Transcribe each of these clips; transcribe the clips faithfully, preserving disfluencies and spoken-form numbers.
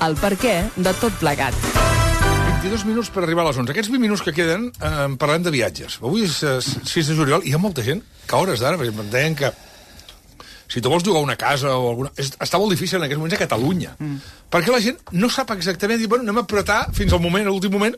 el perquè de tot plegat. vint-i-dos minuts per arribar a les onze. Aquests vint minuts que queden eh, parlem de viatges. Avui és eh, sis de juliol i hi ha molta gent que a hores d'ara, per exemple, em deien que si tu vols llogar una casa o alguna... És, està molt difícil en aquests moments a Catalunya. Mm. Perquè la gent no sap exactament dir, bueno, anem a apretar fins al moment, a l'últim moment,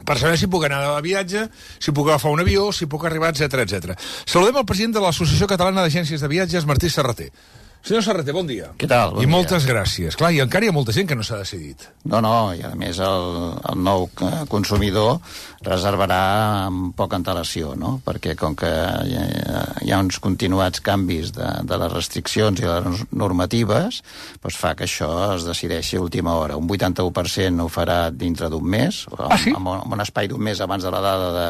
per saber si puc anar a viatge, si puc agafar un avió, si puc arribar, etcètera, etcètera. Saludem el president de l'Associació Catalana d'Agències de Viatges, Martí Serrater. Senyor Serrater, bon dia. Què tal? Bon I moltes dia. gràcies. Clar, i encara hi ha molta gent que no s'ha decidit. No, no, i a més el, el nou consumidor reservarà amb poca antelació, no? Perquè com que hi ha, hi ha uns continuats canvis de, de les restriccions i les normatives, doncs fa que això es decideixi a última hora. Un vuitanta-u per cent ho farà dintre d'un mes, ah, sí? amb, amb un espai d'un mes abans de la data de,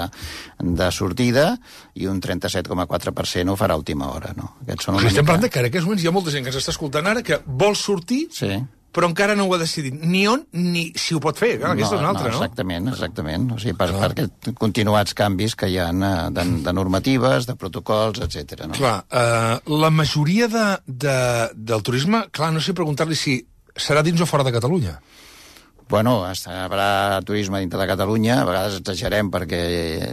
de sortida, i un trenta-set coma quatre per cent ho farà a última hora, no? Aquests són una Estem mica... parlant de que en aquests moments hi ha molta gent que ens està escoltant ara que vol sortir, Sí. però encara no ho ha decidit. Ni on, ni si ho pot fer. Clar, aquesta és una altra, no? Exactament, exactament. O sigui, per, per aquests continuats canvis que hi ha de, de normatives, de protocols, etcètera. No? Clar, eh, la majoria de, de, del turisme, clar, no sé preguntar-li si serà dins o fora de Catalunya. Bueno, hi haurà turisme dintre de Catalunya, a vegades exagerem perquè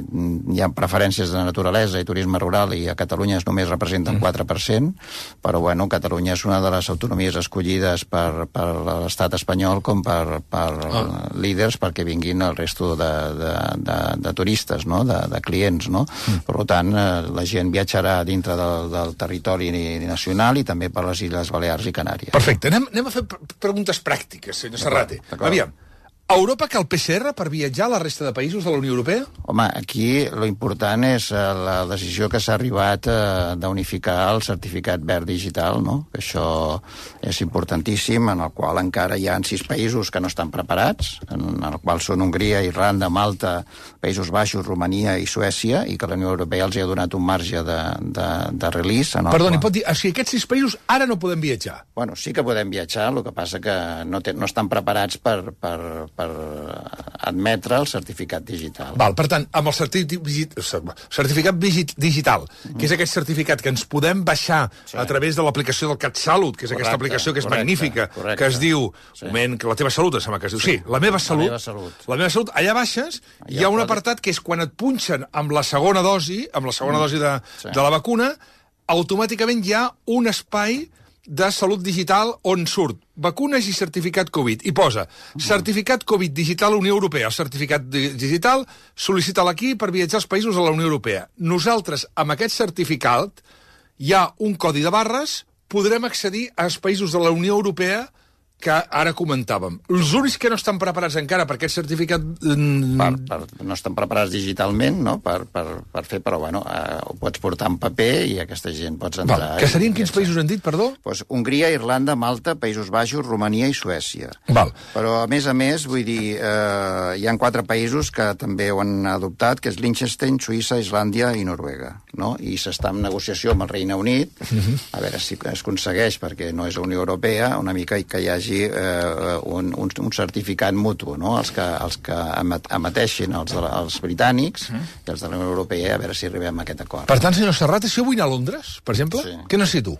hi ha preferències de naturalesa i turisme rural i a Catalunya es només representa un quatre per cent, però bueno, Catalunya és una de les autonomies escollides per, per l'estat espanyol com per, per ah. líders perquè vinguin el resto de, de, de, de turistes, no? de, de clients. No? Mm. Per tant, la gent viatjarà dintre del, del territori nacional i també per les Illes Balears i Canàries. Perfecte, anem, anem a fer preguntes pràctiques, senyor Serrater. Aviam, a Europa cal P C R per viatjar a la resta de països de la Unió Europea? Home, aquí lo important és la decisió que s'ha arribat eh, d'unificar el certificat verd digital, no? Que això és importantíssim, en el qual encara hi ha sis països que no estan preparats, en el qual són Hongria, Irlanda, Malta, Països Baixos, Romania i Suècia, i que la Unió Europea els ha donat un marge de, de, de release. En el Perdoni, qual... pot dir, o sigui, aquests sis països ara no podem viatjar? Bueno, sí que podem viatjar, el que passa que no, te, no estan preparats per... per per admetre el certificat digital. Val, per tant, amb el certificat, certificat digital, mm-hmm. que és aquest certificat que ens podem baixar sí. a través de l'aplicació del CatSalut, que és correcte, aquesta aplicació que és correcte, magnífica, correcte. Que es diu, sí. moment, que la teva salut, em sembla que es diu, sí, sí la meva salut, la meva salut, la meva salut allà baixes, allà hi ha un apartat que és quan et punxen amb la segona dosi, amb la segona mm. dosi de, sí. de la vacuna, automàticament hi ha un espai de salut digital on surt vacunes i certificat Covid. I posa certificat Covid digital Unió Europea. El certificat digital sol·licita-la aquí per viatjar als països de la Unió Europea. Nosaltres, amb aquest certificat, hi ha un codi de barres, podrem accedir als països de la Unió Europea que ara comentàvem. Els únics que no estan preparats encara per aquest certificat... Per, per, no estan preparats digitalment, no?, per, per, per fer, però, bueno, eh, ho pots portar en paper i aquesta gent pots entrar... Val. Que serien quins països han dit, perdó? Pues Hongria, Irlanda, Malta, Països Baixos, Romania i Suècia. Val. Però, a més a més, vull dir, eh, hi ha quatre països que també ho han adoptat, que és Liechtenstein, Suïssa, Islàndia i Noruega, no? I s'està en negociació amb el Regne Unit, uh-huh. a veure si es aconsegueix, perquè no és la Unió Europea, una mica que hi hagi Eh, un, un, un certificat mutu, no? Els que, els que emeteixin els, els britànics mm. i els de la Unió Europea, a veure si arribem a aquest acord. Per tant, senyor Serrater, si jo vull anar a Londres, per exemple, sí. què necessito?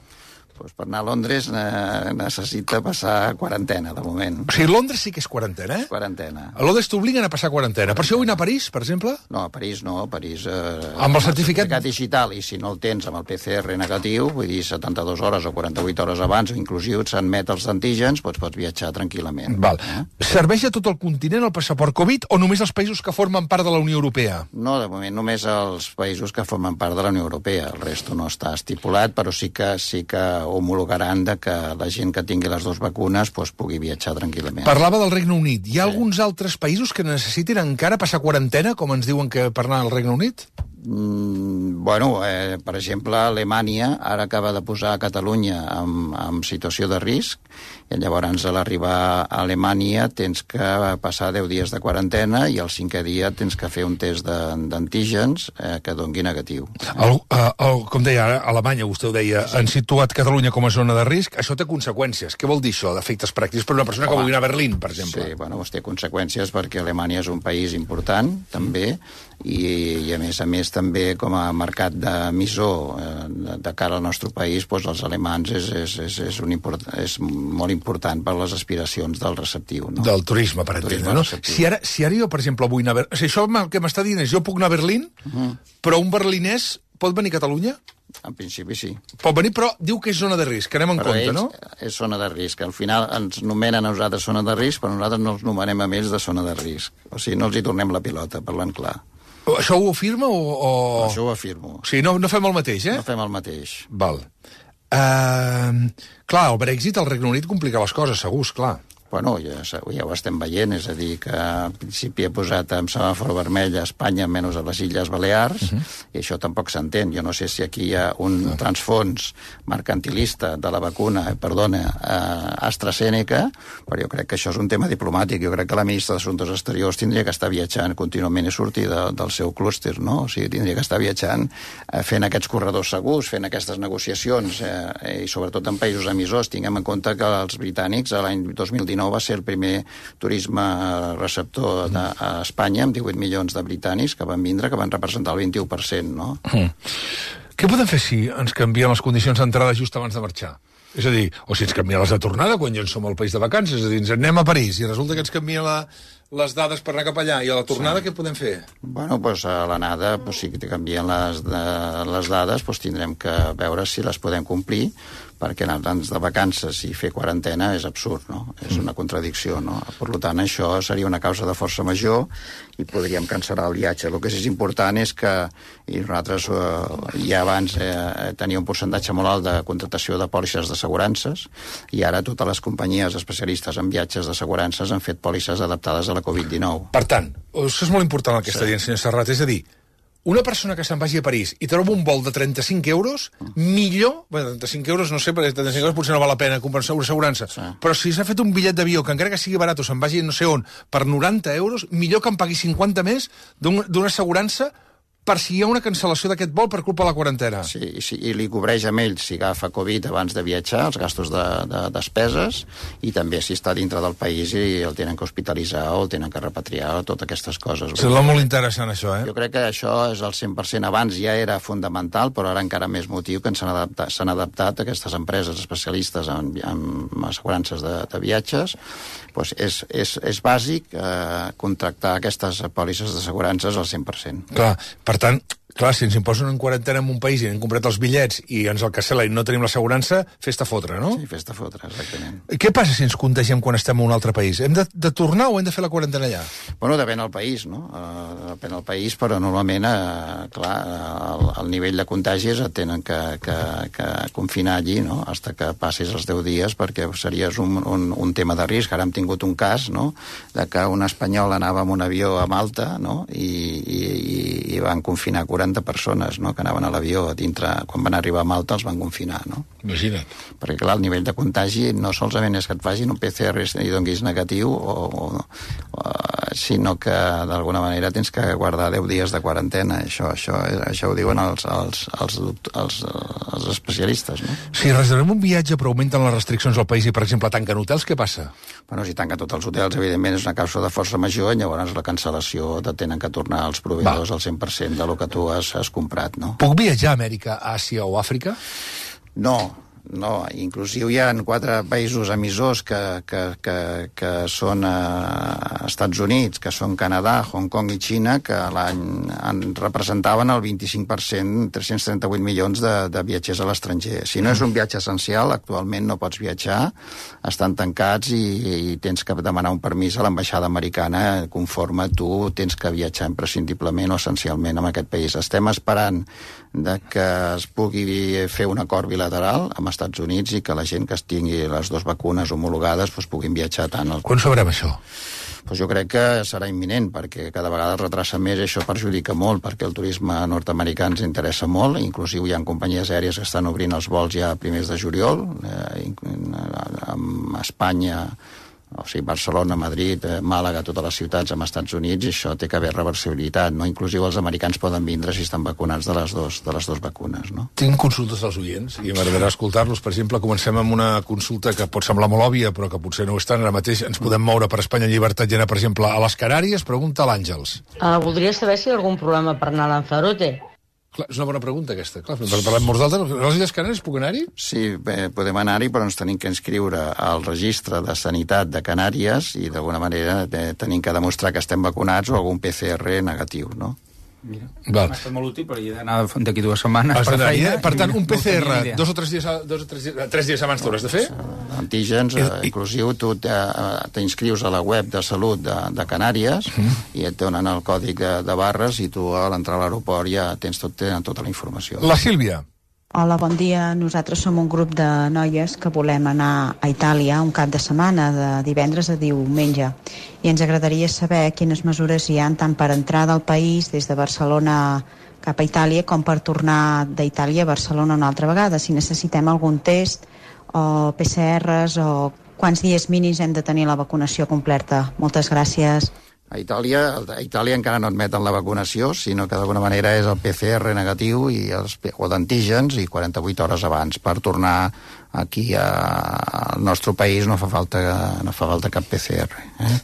Pues per anar a Londres eh, necessita passar quarantena, de moment. O sigui, Londres sí que és quarantena, eh? Quarantena. A Londres t'obliguen a passar quarantena. Per això vull anar a París, per exemple? No, a París no, a París... Eh, amb el certificat... certificat digital, i si no el tens amb el P C R negatiu, vull dir, setanta-dues hores o quaranta-vuit hores abans, o inclusiu s'admet els antígens, doncs pots viatjar tranquil·lament. Val. Eh? Serveix a tot el continent el passaport Covid o només als països que formen part de la Unió Europea? No, de moment només els països que formen part de la Unió Europea. El resto no està estipulat, però sí que, sí que homologaran de que la gent que tingui les dues vacunes pues, pugui viatjar tranquil·lament. Parlava del Regne Unit. Hi ha sí. alguns altres països que necessitin encara passar quarantena, com ens diuen que per anar al Regne Unit? Mm, bueno, eh, per exemple, Alemanya ara acaba de posar a Catalunya en, en situació de risc, i llavors a l'arribar a Alemanya tens que passar deu dies de quarantena i al cinquè dia tens que fer un test d'antígens eh, que doni negatiu. El, el, el, com deia ara, Alemanya, vostè ho deia, sí. han situat Catalunya com a zona de risc. Això té conseqüències. Què vol dir això, d'efectes pràctics per una persona Home, que vulgui anar a Berlín, per exemple? Sí, bueno, té conseqüències perquè Alemanya és un país important, també, i, i a més a més també com a mercat d'emissor eh, de, de cara al nostre país, doncs els alemans és, és, és, és, un import, és molt important per les aspiracions del receptiu. No? Del turisme, per entendre, no? Si ara, si ara jo, per exemple, vull anar a Berlín... O sigui, això el que m'està dient és, jo puc anar a Berlín, uh -huh. però un berlinès pot venir a Catalunya? En principi sí. Pot venir, però diu que és zona de risc, que anem en però compte, ells, no? És zona de risc. Al final ens nomenen a nosaltres zona de risc, però nosaltres no els nomenem a ells de zona de risc. O sigui, no els hi tornem la pilota, parlant clar. Això ho afirma o...? o... Això ho afirmo. O sigui, no, no fem el mateix, eh? No fem el mateix. Val. Uh, clar, el Brexit al Regne Unit complica les coses, segur, clar. Bueno, ja, ja ho estem veient, és a dir, que en principi ha posat en semàfor vermell a Espanya, menys a les Illes Balears, uh -huh. i això tampoc s'entén. Jo no sé si aquí hi ha un uh -huh. transfons mercantilista de la vacuna, perdona, eh, AstraZeneca, però jo crec que això és un tema diplomàtic. Jo crec que la ministra d'Assumptes Exteriors tindria que estar viatjant contínuament i sortir de, del seu clúster, no? O sigui, tindria que estar viatjant, eh, fent aquests corredors segurs, fent aquestes negociacions, eh, i sobretot en països emissors. Tinguem en compte que els britànics, l'any dos mil dinou, va ser el primer turisme receptor de, a Espanya, amb divuit milions de britànics que van vindre, que van representar el vint-i-u per cent, no? Mm. Què podem fer si ens canvien les condicions d'entrada just abans de marxar? És a dir, o si ens canvien les de tornada quan ja en som al país de vacances, és a dir, ens anem a París i resulta que ens canvien la, les dades per anar cap allà, i a la tornada sí. Què podem fer? Bueno, doncs a l'anada, pues, si te canvien les, de, les dades, pues, tindrem que veure si les podem complir, perquè anar-nos de vacances i fer quarantena és absurd, no? És una contradicció, no? Per tant, això seria una causa de força major i podríem cancel·lar el viatge. El que sí és important és que, i nosaltres eh, ja abans eh, tenia un percentatge molt alt de contractació de pòlisses d'assegurances, i ara totes les companyies especialistes en viatges d'assegurances han fet pòlisses adaptades a la covid dinou. Per tant, això és molt important el que sí. està dient, senyor Serrat, és a dir, una persona que se'n vagi a París i troba un vol de trenta-cinc euros, millor... Bé, trenta-cinc euros, no sé, perquè trenta-cinc euros potser no val la pena comprar una assegurança. Sí. Però si s'ha fet un bitllet d'avió, que encara que sigui barat o se'n vagi no sé on, per noranta euros, millor que em pagui cinquanta més d'una assegurança per si hi ha una cancel·lació d'aquest vol per culpa de la quarantena. Sí, i, si, i li cobreix a ell si agafa Covid abans de viatjar, els gastos de, de despeses, i també si està dintre del país i el tenen que hospitalitzar o el tenen que repatriar, totes aquestes coses. Sembla molt interessant, això, eh? Jo crec que això és el cent per cent. Abans ja era fundamental, però ara encara més motiu que s'han adaptat, s'han adaptat aquestes empreses especialistes en, en assegurances de, de viatges. Pues és, és, és bàsic eh, contractar aquestes pòlisses d'assegurances al cent per cent. Clar, per Per tant, clar, si ens imposen en quarantena en un país i hem comprat els bitllets i ens el cancel·la i no tenim l'assegurança, fes-te fotre, no? Sí, fes-te fotre, exactament. Què passa si ens contagiem quan estem en un altre país? Hem de, de tornar o hem de fer la quarantena allà? Bueno, depèn del país, no? Uh, depèn del país, però normalment, uh, clar, el, el nivell de contagis et tenen que, que, que confinar allí, no?, hasta que passis els deu dies, perquè series un, un, un tema de risc. Ara hem tingut un cas, no?, de que un espanyol anava amb un avió a Malta, no?, i, i, i van confinar quaranta persones, no?, que anaven a l'avió dintre, quan van arribar a Malta els van confinar, no? Imagina't. Perquè, clar, el nivell de contagi no solament és que et facin un P C R i donguis negatiu, o, o, o, sinó que d'alguna manera tens que guardar deu dies de quarantena. Això, això, això ho diuen els, els, els, els, els especialistes, no? Si reservem un viatge però augmenten les restriccions al país i, per exemple, tanquen hotels, què passa? Bueno, si tanquen tots els hotels, evidentment és una causa de força major, i llavors la cancel·lació te tenen que tornar als proveïdors al cent per cent de lo que tu has, has comprat, no? Puc viatjar a Amèrica, Àsia o Àfrica? No, no. Inclusive hi ha quatre països emissors que, que, que, que són a Estats Units, que són Canadà, Hong Kong i Xina, que l'any representaven el vint-i-cinc per cent, tres-cents trenta-vuit milions de, de viatgers a l'estranger. Si no és un viatge essencial, actualment no pots viatjar, estan tancats i, i tens que demanar un permís a l'ambaixada americana conforme tu tens que viatjar imprescindiblement o essencialment en aquest país. Estem esperant de que es pugui fer un acord bilateral amb Estats Units i que la gent que es tingui les dues vacunes homologades doncs, puguin viatjar tant. Al... Quan sabrem això? Pues jo crec que serà imminent, perquè cada vegada es retrasa més i això perjudica molt, perquè el turisme nord-americà ens interessa molt, inclusive hi ha companyies aèries que estan obrint els vols ja a primers de juliol, eh, a Espanya, o sigui, Barcelona, Madrid, eh, Màlaga, totes les ciutats amb Estats Units, i això té que haver reversibilitat, no? Inclusive els americans poden vindre si estan vacunats de les dos, de les dues vacunes, no? Tinc consultes dels oients i m'agradarà escoltar-los. Per exemple, comencem amb una consulta que pot semblar molt òbvia, però que potser no ho és tant. Ara mateix ens podem moure per Espanya en llibertat i anar, per exemple, a les Canàries. Pregunta l'Àngels. Uh, voldria saber si hi ha algun problema per anar a Lanzarote. Clar, és una bona pregunta, aquesta. Clar, parlem molt d'altres. A les Illes Canàries puc anar-hi? Sí, bé, podem anar-hi, però ens tenim que inscriure al registre de sanitat de Canàries i, d'alguna manera, eh, tenim que demostrar que estem vacunats o algun P C R negatiu, no? Mira, Val. m'ha estat molt útil, però hi he d'anar d'aquí dues setmanes per feina. Per tant, un no P C R tenia idea. dos o tres dies, dos o tres dies, tres dies abans t'hauràs de fer? Antígens, eh, inclusiu, tu t'inscrius a la web de salut de, de Canàries mm. i et donen el còdic de, de barres i tu a l'entrar a l'aeroport ja tens tot, tenen tota la informació. La Sílvia. Hola, bon dia. Nosaltres som un grup de noies que volem anar a Itàlia un cap de setmana, de divendres a diumenge. I ens agradaria saber quines mesures hi ha tant per entrar del país des de Barcelona cap a Itàlia com per tornar d'Itàlia a Barcelona una altra vegada. Si necessitem algun test o P C Rs o quants dies mínims hem de tenir la vacunació completa. Moltes gràcies. A Itàlia, a Itàlia encara no admeten la vacunació, sinó que d'alguna manera és el P C R negatiu i els, o d'antígens i quaranta-vuit hores abans. Per tornar aquí a, al nostre país no fa falta, no fa falta cap P C R. Eh?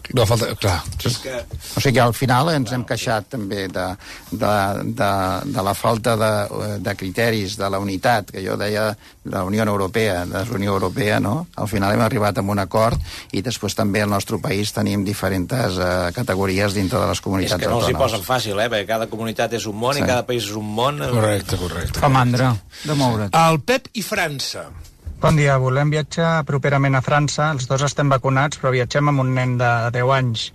No fa falta, clar. És que... O sigui que al final ens hem queixat també de, de, de, de la falta de, de criteris de la unitat, que jo deia de la Unió Europea, de la Unió Europea, no? Al final hem arribat a un acord i després també al nostre país tenim diferents uh, categories dintre de les comunitats autònomes. És que no els hi autònomes. posen fàcil, eh? Perquè cada comunitat és un món Sí. i cada país és un món. Correcte, correcte. Fa mandra de moure't. El Pep i França. Bon dia, volem viatjar properament a França. Els dos estem vacunats, però viatgem amb un nen de deu anys.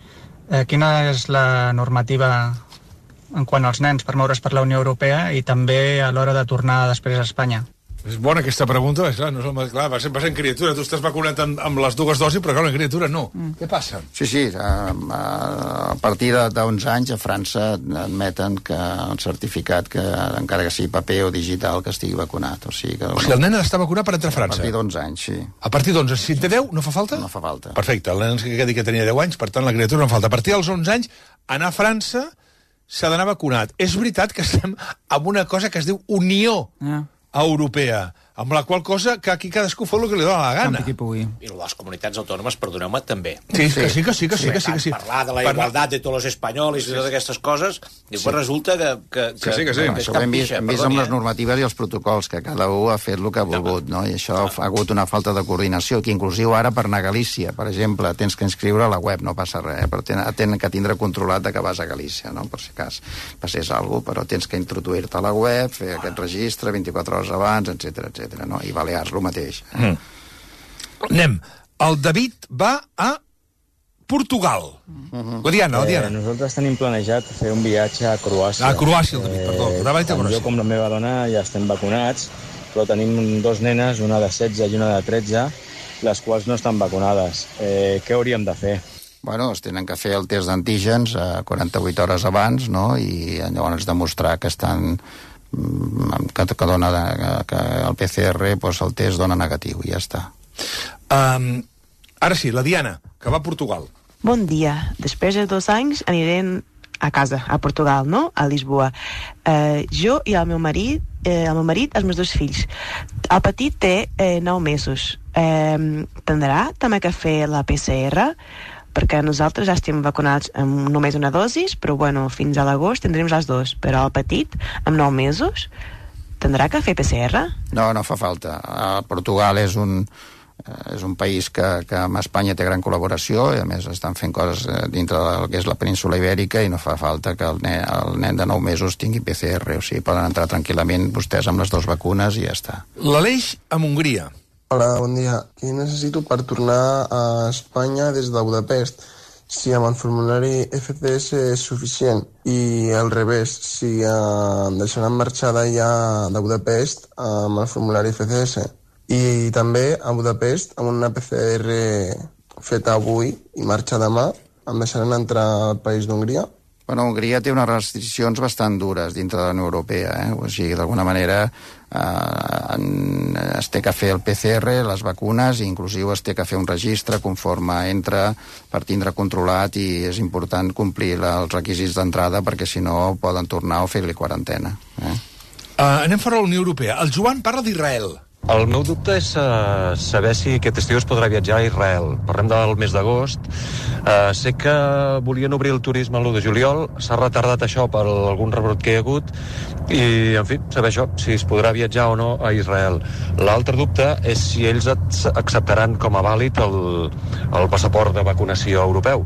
Eh, quina és la normativa en quant als nens per moure's per la Unió Europea i també a l'hora de tornar després a Espanya? És bona aquesta pregunta, clar, no és el, clar, va ser, va ser en criatura, tu estàs vacunat amb, amb les dues dosis, però clar, en criatura no. Mm. Què passa? Sí, sí, a, a partir d'onze anys a França admeten que el certificat, que encara que sigui paper o digital, que estigui vacunat. O sigui, que, o sigui el nen ha d'estar vacunat per entrar a França? A partir d'onze anys, sí. A partir d'onze, si en té deu, no fa falta? No fa falta. Perfecte, el nen que dit que tenia deu anys, per tant la criatura no fa falta. A partir dels onze anys, anar a França s'ha d'anar vacunat. És veritat que estem amb una cosa que es diu Unió Yeah. Europea, amb la qual cosa que aquí cadascú fa el que li dóna la gana. Campi qui pugui. I les comunitats autònomes, perdoneu-me, també. Sí, que sí, que sí, que sí, que sí, que sí. Parlar de la Per- igualtat de tots els espanyols i totes aquestes coses, i després resulta que... que, Que sí, que sí. Bueno, això ho hem vist, hem vist amb les normatives i els protocols, que cada un ha fet el que ha volgut, no? I això ha hagut una falta de coordinació, que inclusiu ara per anar a Galícia, per exemple, tens que inscriure a la web, no passa res, però tenen que tindre controlat que vas a Galícia, no? Per si cas passés alguna cosa, però tens que introduir-te a la web, fer aquest registre vint-i-quatre hores abans, etcètera, etcètera, no? I Balears, el mateix. Mm. Anem. El David va a Portugal. Uh-huh. La Diana, la Diana. Eh, nosaltres tenim planejat fer un viatge a Croàcia. A Croàcia, el David, perdó. Anava a dir tant Croàcia. jo com la meva dona ja estem vacunats, però tenim dos nenes, una de setze i una de tretze, les quals no estan vacunades. Eh, què hauríem de fer? Bueno, es tenen que fer el test d'antígens a quaranta-vuit hores abans, no? I llavors demostrar que estan que, que, dona de, que el P C R, doncs el test dona negatiu i ja està. Um, ara sí, la Diana, que va a Portugal. Bon dia. Després de dos anys anirem a casa, a Portugal, no? A Lisboa. Eh, jo i el meu marit, eh, el meu marit, els meus dos fills. El petit té eh, nou mesos. Eh, tindrà també que fer la P C R, perquè nosaltres ja estem vacunats amb només una dosis, però bueno, fins a l'agost tindrem les dues. Però el petit, amb nou mesos, tindrà que fer P C R? No, no fa falta. Uh, Portugal és un, uh, és un país que, que amb Espanya té gran col·laboració i a més estan fent coses dintre del que és la península ibèrica i no fa falta que el nen, el nen de nou mesos tingui P C R. O sigui, poden entrar tranquil·lament vostès amb les dues vacunes i ja està. L'Aleix a Hongria. Hola, bon dia. Què necessito per tornar a Espanya des de Budapest? Si amb el formulari F C S és suficient i al revés, si eh, em deixaran marxar d'allà de Budapest amb el formulari F C S. I també a Budapest amb una P C R feta avui i marxa demà, em deixaran entrar al país d'Hongria? Bueno, Hongria té unes restriccions bastant dures dintre de la Unió Europea, eh? O sigui, d'alguna manera eh, es té que fer el P C R, les vacunes, i inclusiu es té que fer un registre conforme entra per tindre controlat, i és important complir la, els requisits d'entrada perquè si no poden tornar o fer-li quarantena. Eh? Uh, anem fora de la Unió Europea. El Joan parla d'Israel. El meu dubte és uh, saber si aquest estiu es podrà viatjar a Israel. Parlem del mes d'agost. Uh, sé que volien obrir el turisme l'u de juliol, s'ha retardat això per algun rebrot que hi ha hagut, i, en fi, saber això, si es podrà viatjar o no a Israel. L'altre dubte és si ells acceptaran com a vàlid el, el passaport de vacunació europeu.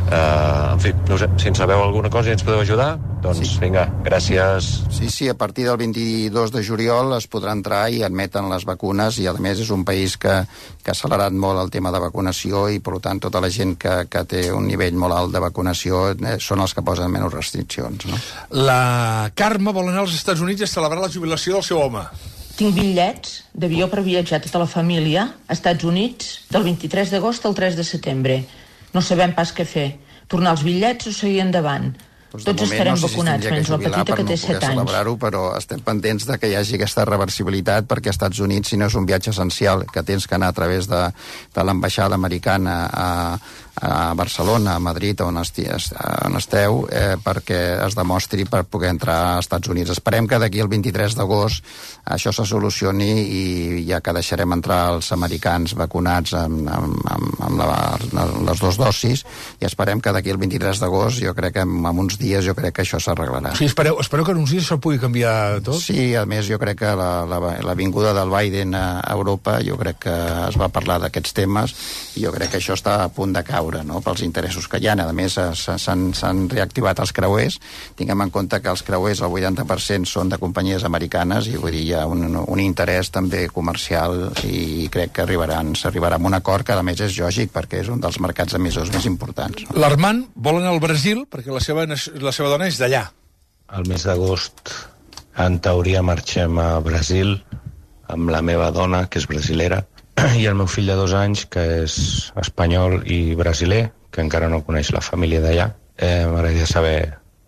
Uh, en fi, no sé, si en sabeu alguna cosa i ens podeu ajudar, doncs sí. Vinga, gràcies. Sí, sí, a partir del vint-i-dos de juliol es podrà entrar i admeten les vacunes, i a més és un país que, que ha accelerat molt el tema de vacunació, i per tant tota la gent que, que té un nivell molt alt de vacunació eh, són els que posen menys restriccions, no? La Carme vol anar als Estats Units a celebrar la jubilació del seu home. Tinc bitllets d'avió per viatjar tota la família a Estats Units del vint-i-tres d'agost al tres de setembre. No sabem pas què fer. Tornar els bitllets o seguir endavant? Doncs Tots moment, estarem no sé vacunats, si menys la petita que té set anys. Celebrar-ho, però estem pendents de que hi hagi aquesta reversibilitat, perquè als Estats Units, si no és un viatge essencial, que tens que anar a través de, de l'ambaixada americana a, a Barcelona, a Madrid, on, esti, on esteu, eh, perquè es demostri per poder entrar als Estats Units. Esperem que d'aquí el vint-i-tres d'agost això se solucioni, i ja que deixarem entrar els americans vacunats amb, amb, amb, amb, la, amb les dues dosis, i esperem que d'aquí el vint-i-tres d'agost, jo crec que en, en uns dies jo crec que això s'arreglarà. Sí, espereu, espereu que en uns dies això pugui canviar tot? Sí, a més jo crec que la, la, la vinguda del Biden a Europa, jo crec que es va parlar d'aquests temes, i jo crec que això està a punt de caure, no?, pels interessos que hi ha. A més, s'han reactivat els creuers. Tinguem en compte que els creuers, el vuitanta per cent són de companyies americanes, i vull dir, hi ha un, un interès també comercial, i crec que arribaran, s'arribarà a un acord que a més és lògic, perquè és un dels mercats emissors més importants. No? L'Armand vol anar al Brasil perquè la seva, la seva dona és d'allà. El mes d'agost, en teoria, marxem a Brasil amb la meva dona, que és brasilera, i el meu fill de dos anys, que és espanyol i brasiler, que encara no coneix la família d'allà. Eh, M'agradaria saber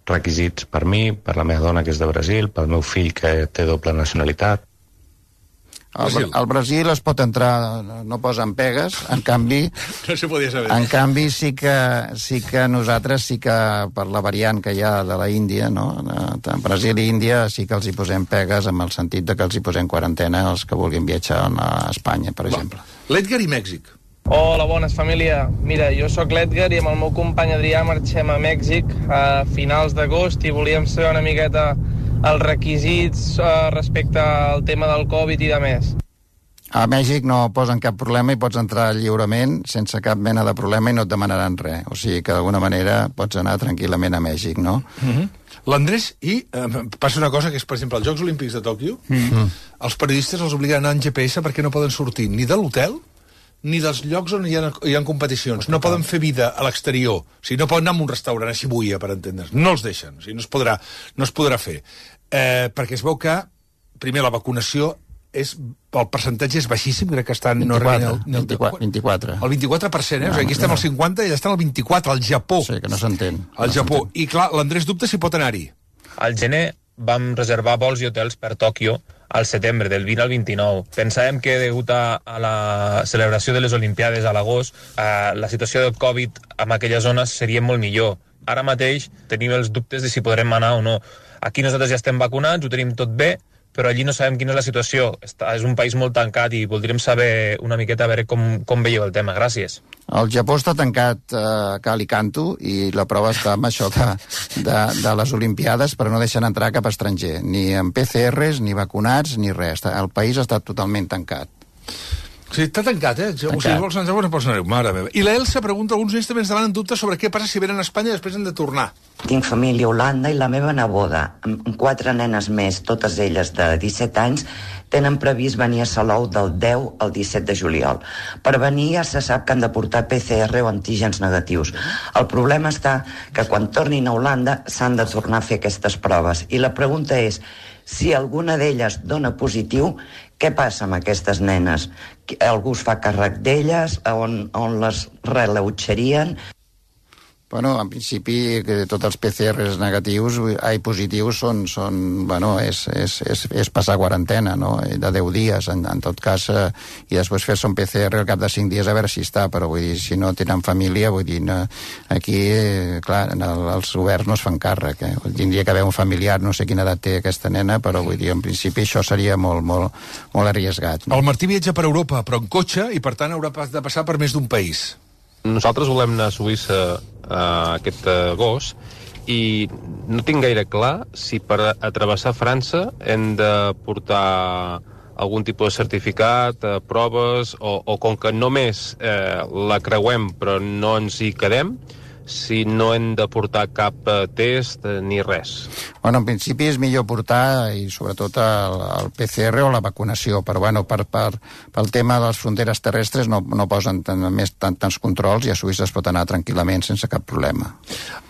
requisits per mi, per la meva dona, que és de Brasil, pel meu fill, que té doble nacionalitat. Al Brasil. Al Brasil es pot entrar, no posen pegues, en canvi... No se podia saber. En canvi, sí que, sí que nosaltres, sí que per la variant que hi ha de la Índia, no? De Brasil i Índia, sí que els hi posem pegues, amb el sentit de que els hi posem quarantena els que vulguin viatjar a Espanya, per exemple. L'Edgar i Mèxic. Hola, bones, família. Mira, jo sóc l'Edgar i amb el meu company Adrià marxem a Mèxic a finals d'agost, i volíem saber una miqueta els requisits uh, respecte al tema del Covid i de més. A Mèxic no posen cap problema i pots entrar lliurement sense cap mena de problema i no et demanaran res. O sigui que d'alguna manera pots anar tranquil·lament a Mèxic, no? Mm-hmm. L'Andrés, i eh, passa una cosa que és, per exemple, els Jocs Olímpics de Tòquio, mm-hmm. els periodistes els obliguen a anar en G P S perquè no poden sortir ni de l'hotel ni dels llocs on hi ha, hi ha competicions. No poden fer vida a l'exterior. O sigui, no poden anar a un restaurant a Shibuya, per entendre's. No els deixen. O sigui, no es podrà, no es podrà fer. Eh, perquè es veu que, primer, la vacunació és, el percentatge és baixíssim, crec que estan... vint-i-quatre, no el, el, vint-i-quatre. El vint-i-quatre per cent, eh? No, o sigui, aquí estem al cinquanta i allà estan al vint-i-quatre, al Japó. Sí, que no s'entén. Al no Japó. I clar, l'Andrés dubta si pot anar-hi. Al gener vam reservar vols i hotels per Tòquio al setembre, del vint al vint-i-nou. Pensàvem que, degut a, a la celebració de les Olimpiades a l'agost, eh, la situació del Covid en aquelles zones seria molt millor. Ara mateix tenim els dubtes de si podrem anar o no. Aquí nosaltres ja estem vacunats, ho tenim tot bé, però allí no sabem quina és la situació. Està, és un país molt tancat i voldríem saber una miqueta a veure com, com veieu el tema. Gràcies. El Japó està tancat eh, a cal i canto, i la prova està amb això de, de, de les Olimpiades, però no deixen entrar cap estranger, ni amb P C Rs, ni vacunats, ni res. El país està totalment tancat. Sí, està tancat, eh? Tancat. O sigui, vols anar a pots anar mare meva. I l'Elsa pregunta, alguns nens també ens demanen dubtes sobre què passa si venen a Espanya i després han de tornar. Tinc família a Holanda i la meva neboda, amb quatre nenes més, totes elles de disset anys, tenen previst venir a Salou del deu al disset de juliol. Per venir ja se sap que han de portar P C R o antígens negatius. El problema està que quan tornin a Holanda s'han de tornar a fer aquestes proves. I la pregunta és, si alguna d'elles dona positiu, què passa amb aquestes nenes? Algú es fa càrrec d'elles? On, on les relautxarien? Bueno, en principi, que tots els P C Rs negatius, ai, positius, són, són bueno, és, és, és, és passar quarantena, no?, de deu dies, en, en tot cas, eh, i després fer-se un P C R al cap de cinc dies a veure si està, però vull dir, si no tenen família, vull dir, no, aquí, eh, clar, el, els governs no es fan càrrec, eh? Tindria que haver un familiar, no sé quina edat té aquesta nena, però vull dir, en principi això seria molt, molt, molt arriesgat. No? El Martí viatja per Europa, però en cotxe, i per tant haurà de passar per més d'un país. Nosaltres volem anar a Suïssa uh, aquest agost i no tinc gaire clar si per a travessar França hem de portar algun tipus de certificat, eh, proves, o, o com que només eh, la creuem però no ens hi quedem, si no hem de portar cap eh, test eh, ni res. Bueno, en principi és millor portar, i sobretot el, el P C R o la vacunació, però bueno, per, per, pel tema de les fronteres terrestres no, no posen tant, més tant, tants controls i a Suïssa es pot anar tranquil·lament sense cap problema.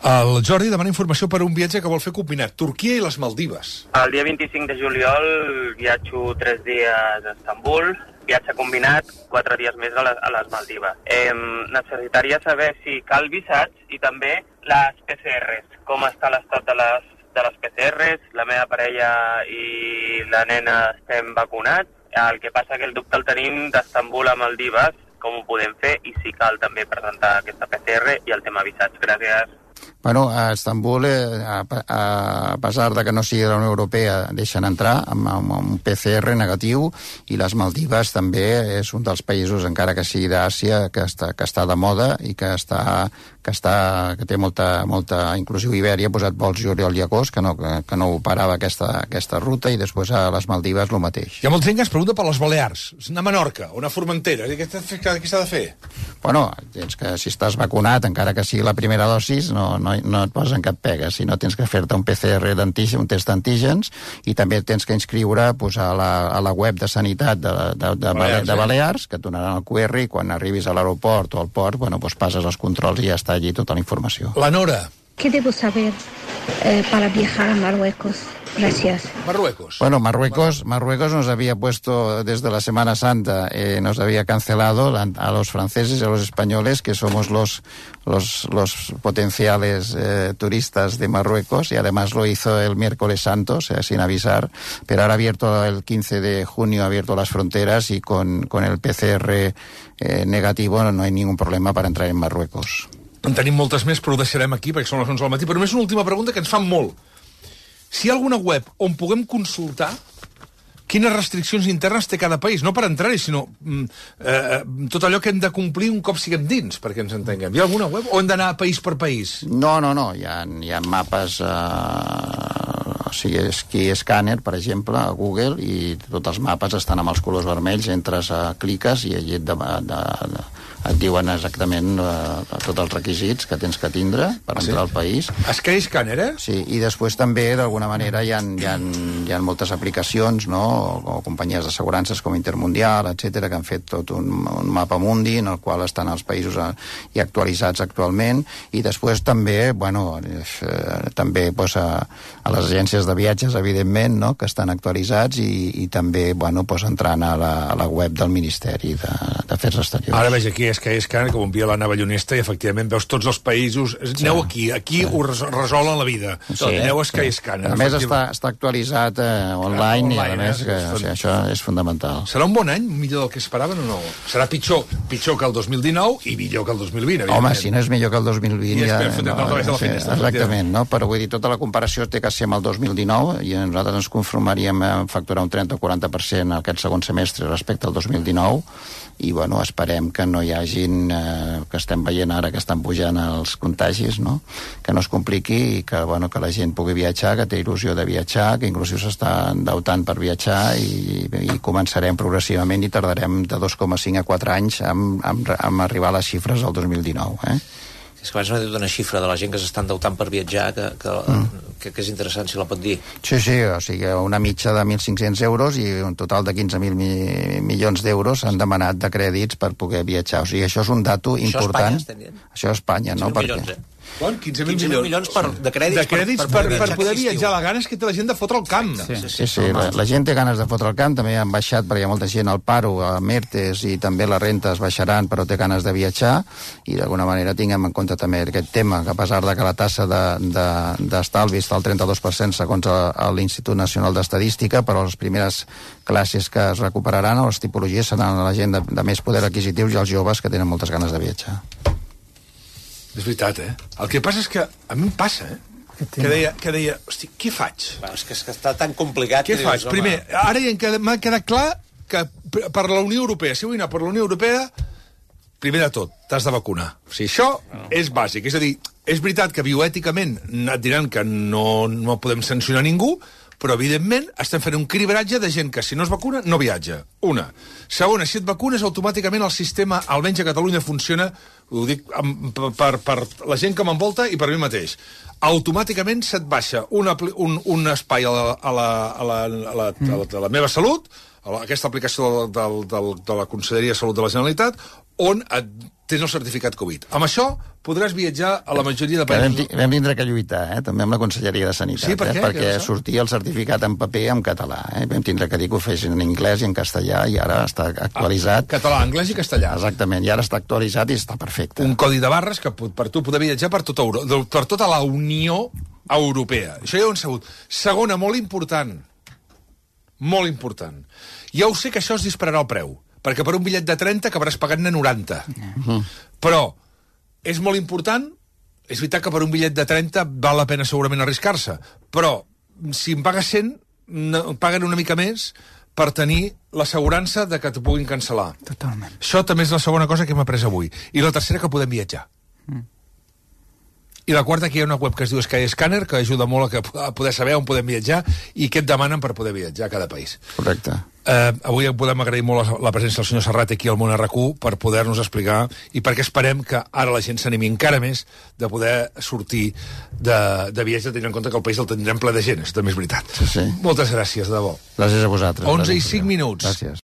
El Jordi demana informació per un viatge que vol fer combinat, Turquia i les Maldives. El dia vint-i-cinc de juliol viatjo tres dies a Istanbul, viatge combinat, quatre dies més a les, a les Maldives. Eh, necessitaria saber si cal visats i també les P C Rs, com està l'estat de les, de les P C Rs, la meva parella i la nena estem vacunats, el que passa que el dubte el tenim d'Istanbul a Maldives, com ho podem fer i si cal també presentar aquesta P C R i el tema visats. Gràcies. Bueno, a Istanbul, eh, a, a pesar de que no sigui de la Unió Europea, deixen entrar amb, amb un P C R negatiu, i les Maldives també és un dels països, encara que sigui d'Àsia, que està, que està de moda i que està que, està, que té molta, molta... Inclusive Ibèria ha posat vols juliol i agost, que no, que, que no operava aquesta, aquesta ruta, i després a les Maldives el mateix. Hi ha molta gent que es pregunta per les Balears, anar a Menorca o anar a Formentera, què s'ha de fer? Bueno, tens que, si estàs vacunat, encara que sigui la primera dosis, no, no, no et posen cap pega, si no tens que fer-te un P C R d'antígens, un test d'antígens, i també tens que inscriure pues, a, la, a la web de Sanitat de, de, de, Balears, de Balears, que et donaran el Q R, i quan arribis a l'aeroport o al port, bueno, pues passes els controls i ja està allí tota la informació. La Nora. ¿Qué debo saber eh, para viajar a Marruecos? Gracias. Marruecos. Bueno, Marruecos, Marruecos nos había puesto desde la Semana Santa, eh, nos había cancelado a los franceses y a los españoles, que somos los, los, los potenciales eh, turistas de Marruecos, y además lo hizo el miércoles santo, o sea, sin avisar, pero ahora ha abierto el quince de junio, ha abierto las fronteras, y con, con el P C R eh, negativo no hay ningún problema para entrar en Marruecos. En tenim moltes més, però ho deixarem aquí perquè són les onze del matí. Però només una última pregunta que ens fan molt. Si hi ha alguna web on puguem consultar quines restriccions internes té cada país, no per entrar-hi, sinó eh, tot allò que hem de complir un cop siguem dins, perquè ens entenguem. Hi ha alguna web o hem d'anar país per país? No, no, no. Hi ha, hi ha mapes... Eh... O sigui, aquí Scanner, per exemple, a Google, i tots els mapes estan amb els colors vermells, entres a cliques i allí et, de, de, de, et diuen exactament uh, tots els requisits que tens que tindre per entrar al país. Sky Scanner, eh? Sí, i després també, d'alguna manera, hi ha, hi ha, hi ha moltes aplicacions, no?, o, o companyies d'assegurances com Intermundial, etcètera, que han fet tot un, un mapa mundi en el qual estan els països a, i actualitzats actualment, i després també, bueno, eh, també pues, a, a les agències de viatges, evidentment, no?, que estan actualitzats, i, i també, bueno, pues, entrant a la, a la web del Ministeri d'Afers Exteriors. Ara veig aquí Sky Scanner, que ho envia l'Anna Ballonesta, i efectivament veus tots els països. Sí. Aneu aquí, aquí sí. Ho resolen la vida. Sí. Aneu a Sky sí. Scanner. A més està, està actualitzat eh, online, online, i a més, eh? que, o sigui, això és fundamental. Serà un bon any, millor del que esperaven o no? Serà pitjor, pitjor que el dos mil dinou i millor que el dos mil vint, evidentment. Home, si no és millor que el dos mil vint... I ja, no, no, no, sí, exactament, no? Però vull dir, tota la comparació té que ser amb el dos mil dinou, i nosaltres ens conformaríem a facturar un trenta o quaranta per cent aquest segon semestre respecte al dos mil dinou, i bueno, esperem que no hi hagin, eh, que estem veient ara que estan pujant els contagis, no?, que no es compliqui, i que, bueno, que la gent pugui viatjar, que té il·lusió de viatjar, que inclusive s'està endeutant per viatjar, i, i començarem progressivament, i tardarem de dos coma cinc a quatre anys amb, amb, amb arribar a les xifres del dos mil dinou, eh? És que abans m'ha dit una xifra de la gent que s'està endeutant per viatjar, que, que mm. que, que és interessant, si la pot dir. Sí, sí, o sigui, una mitja de mil cinc-cents euros i un total de quinze mil mi milions d'euros s'han demanat de crèdits per poder viatjar. O sigui, això és un dato important. Això a Espanya, Això a Espanya, no? Milions, eh? Quan? quinze mil milions, milions per, de crèdits, de crèdits per, per, per, per poder viatjar. viatjar. La gana és que té la gent de fotre el camp. Sí, sí, sí la, la gent té ganes de fotre el camp, també han baixat perquè hi ha molta gent al paro, a Mertes, i també les rentes baixaran, però té ganes de viatjar, i d'alguna manera tinguem en compte també aquest tema, que a pesar de que la tassa d'estalvi de, de, està al trenta-dos per cent segons l'Institut Nacional d'Estadística, però les primeres classes que es recuperaran o les tipologies seran la gent de, de més poder adquisitiu i els joves que tenen moltes ganes de viatjar. És veritat, eh? El que passa és que a mi em passa, eh? Que deia, que deia, hosti, què faig? Bueno, és, que, és que està tan complicat. Què que faig? dius, Primer, ara ja m'ha quedat clar que per la Unió Europea, si vull anar per la Unió Europea, primer de tot, t'has de vacunar. O sigui, això no. és bàsic. És a dir, és veritat que bioèticament et diran que no, no podem sancionar ningú, però, evidentment, estem fent un cribratge de gent que, si no es vacuna, no viatja. Una. Segona, si et vacunes, automàticament el sistema, almenys a Catalunya, funciona, ho dic per, per la gent que m'envolta i per mi mateix. Automàticament se't baixa un, un, un espai a la, a la, a la, a la, a la, a la meva salut, a la, aquesta aplicació del, del, de la Conselleria de Salut de la Generalitat, on et tens el certificat Covid. Amb això podràs viatjar a la majoria de països. Vam, vam tindre que lluitar, eh? també amb la Conselleria de Sanitat, sí, per eh? perquè sortia el certificat en paper en català. Eh? Vam tindre que dir que ho fessin en anglès i en castellà, i ara està actualitzat. Ah, català, anglès i castellà. Exactament, i ara està actualitzat i està perfecte. Un codi de barres que per tu poder viatjar per tota, Euro... per tota la Unió Europea. Això ja ho hem sabut. Segona, molt important, molt important. Ja ho sé que això es dispararà el preu, perquè per un bitllet de trenta acabaràs pagant-ne noranta. Uh-huh. Però és molt important, és veritat que per un bitllet de trenta val la pena segurament arriscar-se, però si em pagues cent, no, paguen una mica més per tenir l'assegurança de que t'ho puguin cancel·lar. Totalment. Això també és la segona cosa que hem après avui. I la tercera, que podem viatjar. Mm. I la quarta, que hi ha una web que es diu Skyscanner, que ajuda molt a, que, a poder saber on podem viatjar i què et demanen per poder viatjar a cada país. Correcte. Eh, avui podem agrair molt la, la presència del senyor Serrat aquí al Món R Q per poder-nos explicar i perquè esperem que ara la gent s'animi encara més de poder sortir de, de viatge, tenint en compte que el país el tindrem ple de gent, això també és veritat. Sí, sí. Moltes gràcies, de debò. Gràcies a vosaltres. onze i cinc minuts. Gràcies.